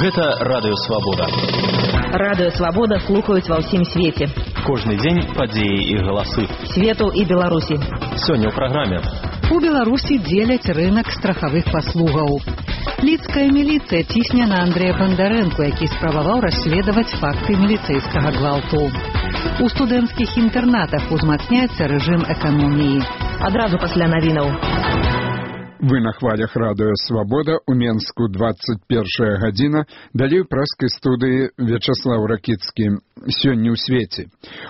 Гэта Радыё Свабода. Радыё Свабода слухаюць ва ўсім свеце. Кожны дзень падзеі і галасы. Свету і Беларусі. Сёння ў праграме. У Беларусі дзеляць рынак страхавых паслугаў. Лідская міліцыя цісне на Андрэя Бандарэнку, які спрабаваў расследаваць факты міліцэйскага гвалту. У студэнцкіх інтэрнатах узмацняецца рэжым эканоміі. Адразу пасля навінаў. Вы на хвалях Радыё Свабода, у Менску 21 гадзіна, далей у праскай студыі Вячаслаў Ракіцкі. Сёння ў свеце.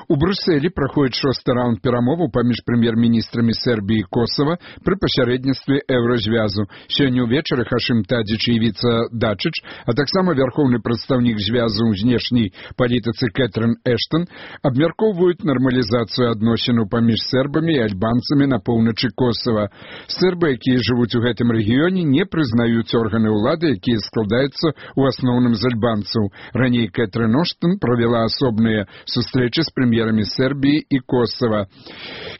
У Брюсселі праходзіць 6-ы раунд перамоваў паміж прэм'ер-міністрамі Сербіі і Косава пры пасярэдніцтве Еўразвязу. Сёння ўвечары Хашым Тадзіч і Івіца Дачыч, а таксама вярхоўны прадстаўнік звязу ў знешняй палітыцы Кэтрын Эштон абмяркоўваюць нармалізацыю адносінаў паміж сербамі і альбанцамі на поўначы Косава. Сербы, якія жывуць у гэтым рэгіёне, не прызнаюць органы ўлады, якія складаюцца ў асноўным з альбанцаў. Раней Кэтрын Эштон правяла асобныя сустрэчы з прэм'ерамі Сербіі і Косава.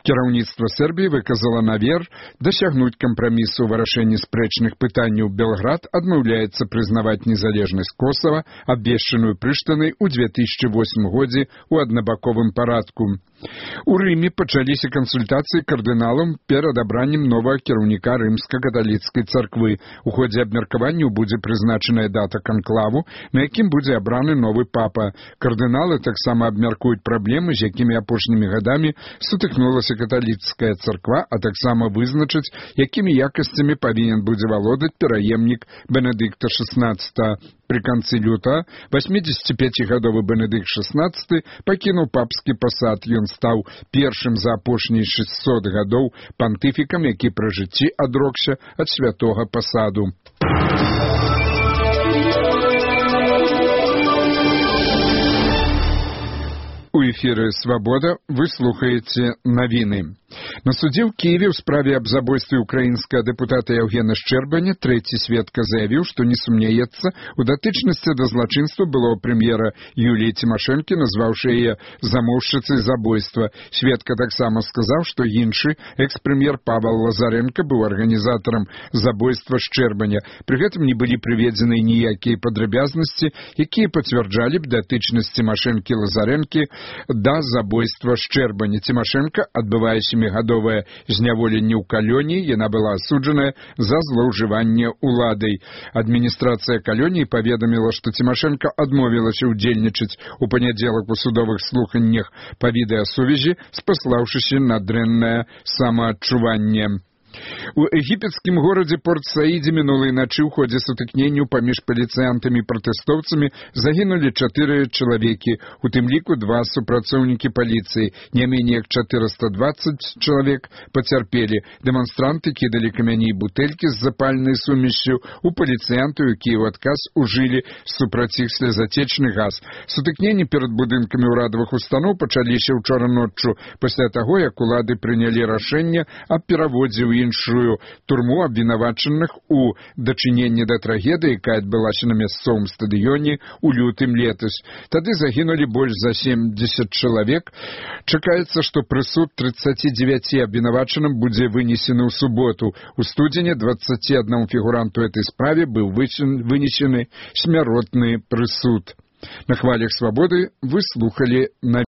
Кіраўніцтва Сербіі выказала намер дасягнуць кампрамісу ў вырашэнні спрэчных пытанняў. Белград адмаўляецца прызнаваць незалежнасць Косава, абвешчаную Прыштанай у 2008 годзе ў аднабаковым парадку. У Рыме пачаліся кансультацыі кардыналам перад абраннем новага кіраўніка рымска-каталіцкай царквы. У ходзе абмеркаванняў будзе прызначаная дата канклаву, на якім будзе абраны новы папа. Кардыналы таксама абмяркуюць праблемы, з якімі апошнімі гадамі сутыкнулася каталіцкая царква, а таксама вызначыць, якімі якасцямі павінен будзе валодаць пераемнік Бенедыкта XVI. Пры канцы лютага 85-гадовы Бенедыкт XVI пакінуў папскі пасад. Ён стаў першым за апошнія 600 гадоў пантыфікам, які пры жыцці адрокся ад святога пасаду. У эфіры «Свабода» вы слухаеце навіны. На судзе ў Киеве ў справе аб забойстве украінскага дэпутата Яўгена Шчэрбаня трэці сведка заявіў, што не сумняецца у датычнасці да злачынства былого прэм'ера Юліі Цімашэнкі, назваўшы яе замоўшчыцай забойства. Сведка таксама сказаў, што іншы экс-прэм'ер Павел Лазаренко быў арганізатарам забойства Шчэрбаня. Пры гэтым не былі прыведзены ніякія падрабязнасці, якія пацвярджалі б датычнасць Цімашэнкі Лазаренкі да забойства Шчэрбаня. Цімашэнка адбывае 7-гадовае зняволенне ў калоніі, яна была асуджаная за злоўжыванне ўладай. Адміністрацыя калоніі паведаміла, што Цімашэнка адмовілася ўдзельнічаць у панядзелак у судовых слуханнях па відэасувязі, спаслаўшыся на дрэннае самаадчуванне. У егіпецкім горадзе Порт-Саідзе мінулай начы ў ходзе сутыкненняў паміж паліцыянтамі і пратэстоўцамі загінулі 4 чалавекі, у тым ліку 2 супрацоўнікі паліцыі. Не меней як 420 чалавек пацярпелі. Дэманстранты кідалі камяні і бутэлькі з запальнай сумессю у паліцыянтаў, якія ў адказ ужылі супраць іх слезатечны газ. Сутыкненні перад будынкамі ўрадавых устаноў пачаліся ўчора ноччу, пасля таго, як улады прынялі рашэнне аб пераводзе ў іншую турму абвінавачаных у дачыненні да трагедыі, якая адбылася на мясцовым стадыёне ў лютым летась. Тады загінулі больш за 70 чалавек. Чакаецца, што прысуд 39 абвінавачаным будзе вынесены ў суботу. У студзені 21 фігуранту этой справе быў вынесены смяротны прысуд. На хвалях Свабоды вы слухалі на